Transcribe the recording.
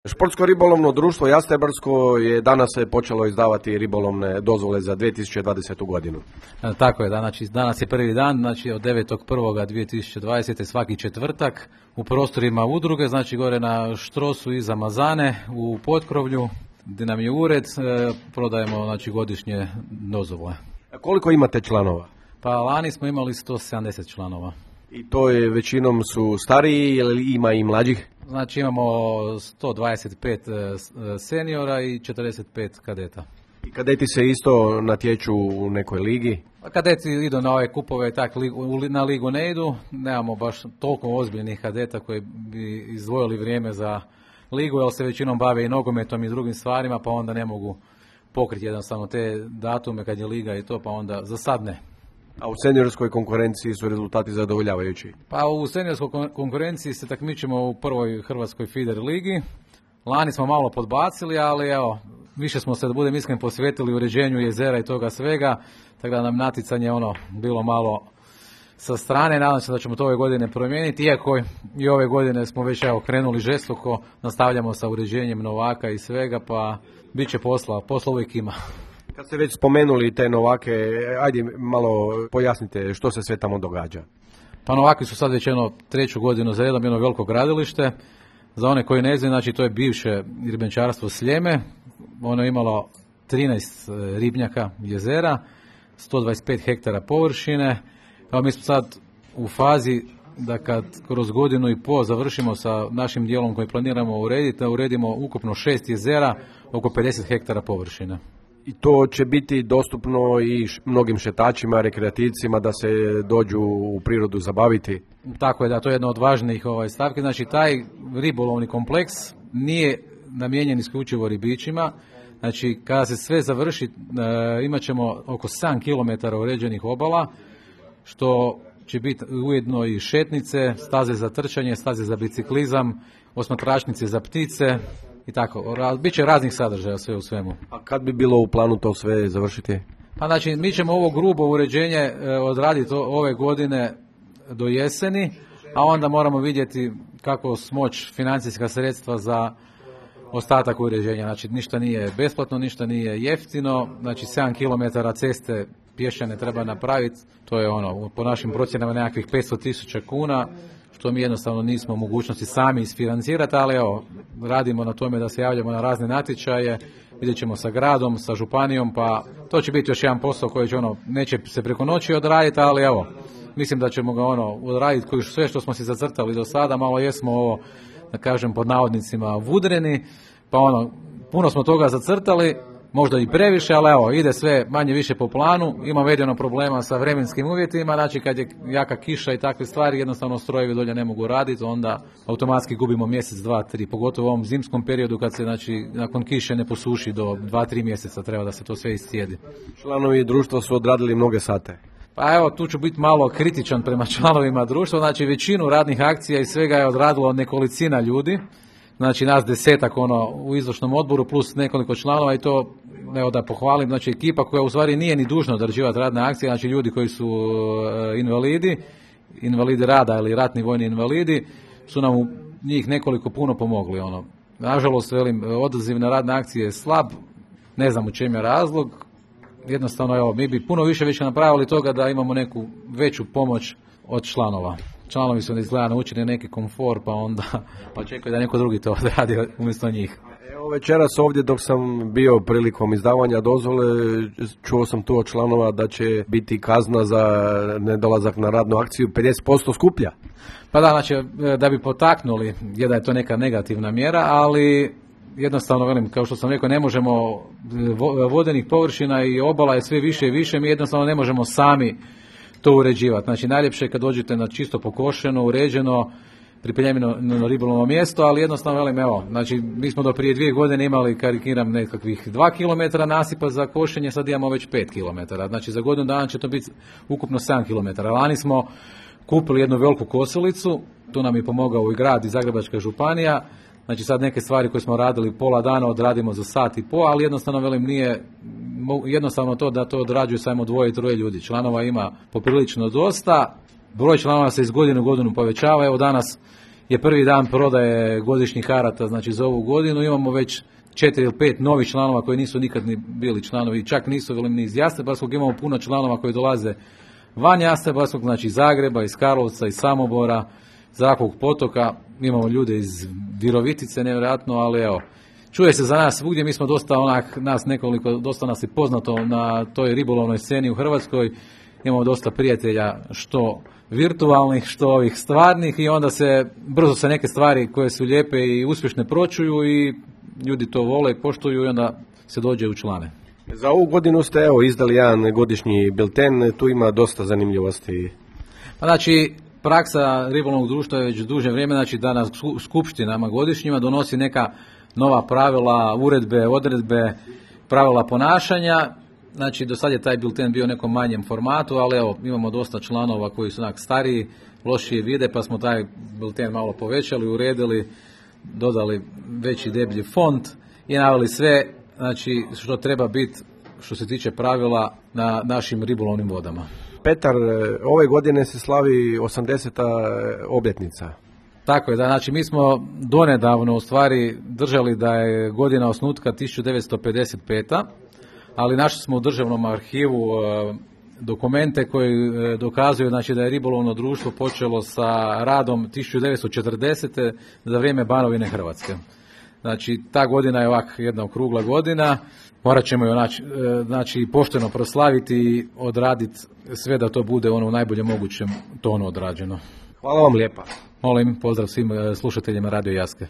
Športsko ribolovno društvo Jastrebarsko je danas počelo izdavati ribolovne dozvole za 2020. godinu. Tako je, danas je prvi dan, znači od 9.1.2020. svaki četvrtak u prostorima udruge, znači gore na Štrosu iza Mazane u Potkrovlju, gdje nam je ured, prodajemo znači godišnje dozvole. Koliko imate članova? Pa lani smo imali 170 članova. I to je većinom su stariji ili ima i mlađih? Znači imamo 125 seniora i 45 kadeta. I kadeti se isto natječu u nekoj ligi? Kadeti idu na ove kupove, tak na ligu ne idu. Nemamo baš toliko ozbiljnih kadeta koji bi izdvojili vrijeme za ligu, jer se većinom bave i nogometom i drugim stvarima, pa onda ne mogu pokriti jednostavno te datume kad je liga i to, pa onda za sad ne. A u seniorskoj konkurenciji su rezultati zadovoljavajući? Pa u seniorskoj konkurenciji se takmičimo u prvoj Hrvatskoj feeder ligi. Lani smo malo podbacili, ali evo, više smo se, da budem iskren, posvetili uređenju jezera i toga svega, tako da nam naticanje bilo malo sa strane. Nadam se da ćemo to ove godine promijeniti, iako i ove godine smo već krenuli žestoko, nastavljamo sa uređenjem novaka i svega, pa bit će posla uvijek ima. Kad ste već spomenuli te novake, ajde malo pojasnite što se sve tamo događa. Pa novaki su sad već treću godinu za jedno veliko gradilište. Za one koji ne znaju, znači to je bivše ribenčarstvo Sljeme. Ono je imalo 13 ribnjaka jezera, 125 hektara površine. Evo mi smo sad u fazi da kad kroz godinu i pol završimo sa našim dijelom koji planiramo urediti, da uredimo ukupno 6 jezera, oko 50 hektara površine. I to će biti dostupno i mnogim šetačima, rekreativcima da se dođu u prirodu zabaviti? Tako je, da, to je jedna od važnijih stavki. Znači taj ribolovni kompleks nije namijenjen isključivo ribičima. Znači kada se sve završi imat ćemo oko 7 km uređenih obala, što će biti ujedno i šetnice, staze za trčanje, staze za biciklizam, osmatračnice za ptice i tako. Biće raznih sadržaja sve u svemu. A kad bi bilo u planu to sve završiti? Pa znači mi ćemo ovo grubo uređenje odraditi ove godine do jeseni, a onda moramo vidjeti kako smoći financijska sredstva za ostatak uređenja. Znači ništa nije besplatno, ništa nije jeftino, znači 7 km ceste pješčane treba napraviti, to je po našim procjenama nekakvih 500.000 kuna, što mi jednostavno nismo u mogućnosti sami isfinancirati, ali evo, radimo na tome da se javljamo na razne natječaje, vidjet ćemo sa gradom, sa županijom, pa to će biti još jedan posao koji će neće se preko noći odraditi, ali evo, mislim da ćemo ga odraditi koji sve što smo si zacrtali do sada, malo jesmo da kažem pod navodnicima vudreni, pa puno smo toga zacrtali, možda i previše, ali evo, ide sve manje više po planu, imamo jedino problema sa vremenskim uvjetima, znači kad je jaka kiša i takve stvari, jednostavno strojevi dolje ne mogu raditi, onda automatski gubimo mjesec, 2, 3, pogotovo u ovom zimskom periodu kad se nakon kiše ne posuši do 2-3 mjeseca treba da se to sve iscijedi. Članovi društva su odradili mnoge sate. Pa evo, tu ću biti malo kritičan prema članovima društva, znači većinu radnih akcija i svega je odradilo nekolicina ljudi, znači nas 10 u izvršnom odboru plus nekoliko članova i to evo da pohvalim, znači ekipa koja u stvari nije ni dužna odrađivati radne akcije, znači ljudi koji su invalidi rada ili ratni vojni invalidi su nam njih nekoliko puno pomogli. Nažalost, odaziv na radne akcije je slab, ne znam u čem je razlog, jednostavno evo, mi bi puno više napravili toga da imamo neku veću pomoć od članova. Članovi su izgleda naučili neki komfor, pa čekaju da neko drugi to odradi umjesto njih. Evo večeras ovdje dok sam bio prilikom izdavanja dozvole, čuo sam tu od članova da će biti kazna za nedolazak na radnu akciju 50% skuplja. Pa da, znači da bi potaknuli, da je to neka negativna mjera, ali jednostavno, kao što sam rekao, ne možemo, vodenih površina i obala je sve više i više, mi jednostavno ne možemo sami to uređivati. Znači najljepše je kad dođete na čisto pokošeno, uređeno, pripremljeno na ribolovno mjesto, ali jednostavno, evo, znači mi smo do prije 2 godine imali, karikiram, nekakvih 2 km nasipa za košenje, sad imamo već 5 km, znači za godinu dana će to biti ukupno 7 km. Lani smo kupili jednu veliku kosilicu, tu nam je pomogao i grad i Zagrebačka županija, znači sad neke stvari koje smo radili pola dana odradimo za sat i pol, ali jednostavno nije jednostavno to da to odrađuju samo 2-3 ljudi. Članova ima poprilično dosta, broj članova se iz godine u godinu povećava, evo danas je prvi dan prodaje godišnjih karata, znači za ovu godinu. Imamo već 4 ili 5 novih članova koji nisu nikad ni bili članovi, čak nisu bili ni iz Jastrebarskog. Imamo puno članova koji dolaze van Jastrebarskog, znači iz Zagreba, iz Karlovca, iz Samobora, Zrakovog potoka. Imamo ljude iz Virovitice, nevjerojatno, ali evo, čuje se za nas svugdje. Mi smo dosta nas nekoliko, dosta nas je poznato na toj ribolovnoj sceni u Hrvatskoj. Imamo dosta prijatelja, što virtualnih, što ovih stvarnih, i onda brzo se neke stvari koje su lijepe i uspješne pročuju i ljudi to vole i poštuju i onda se dođe u člane. Za ovu godinu ste izdali jedan godišnji bilten, tu ima dosta zanimljivosti. Znači, praksa ribolovnog društva je već duže vrijeme, znači da na skupštinama godišnjima donosi neka nova pravila, uredbe, odredbe, pravila ponašanja. Znači, do sad je taj bilten bio u nekom manjem formatu, ali evo, imamo dosta članova koji su stariji, lošije vide, pa smo taj bilten malo povećali, uredili, dodali veći deblji font i naveli sve, znači, što treba biti što se tiče pravila na našim ribolovnim vodama. Petar, ove godine se slavi 80. obljetnica. Tako je, da, znači mi smo donedavno u stvari držali da je godina osnutka 1955. ali našli smo u državnom arhivu dokumente koji dokazuju, znači, da je ribolovno društvo počelo sa radom 1940. za vrijeme Banovine Hrvatske. Znači, ta godina je ovak jedna okrugla godina, morat ćemo ju znači, pošteno proslaviti i odraditi sve da to bude u najboljem mogućem tonu odrađeno. Hvala vam lijepa. Molim, pozdrav svim slušateljima Radio Jaske.